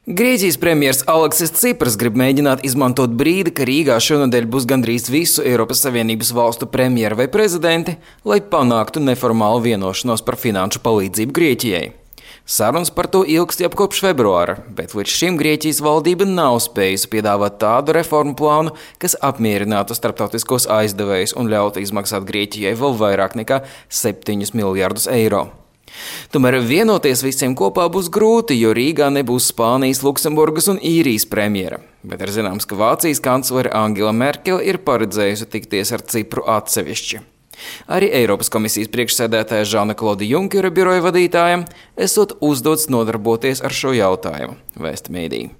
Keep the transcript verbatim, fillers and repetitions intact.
Grieķijas premjers Aleksis Cipras grib mēģināt izmantot brīdi, ka Rīgā šonedēļ būs gandrīz visu Eiropas Savienības valstu premjeri vai prezidenti, lai panāktu neformālu vienošanos par finanšu palīdzību Grieķijai. Sarunas par to ilgst jau kopš februāra, bet līdz šim Grieķijas valdība nav spējusi piedāvāt tādu reformu plānu, kas apmierinātu starptautiskos aizdevējus un ļautu izmaksāt Grieķijai vēl vairāk nekā septiņus miljardus eiro. Tomēr vienoties visiem kopā būs grūti, jo Rīgā nebūs Spānijas, Luksemburgas un Īrijas premjera. Bet ir zināms, ka Vācijas kanclere Angela Merkele ir paredzējusi tikties ar Cipru atsevišķi. Arī Eiropas komisijas priekšsēdētāja Žana-Klauda Junkera biroja vadītājam esot uzdots nodarboties ar šo jautājumu, vēsta mēdīji.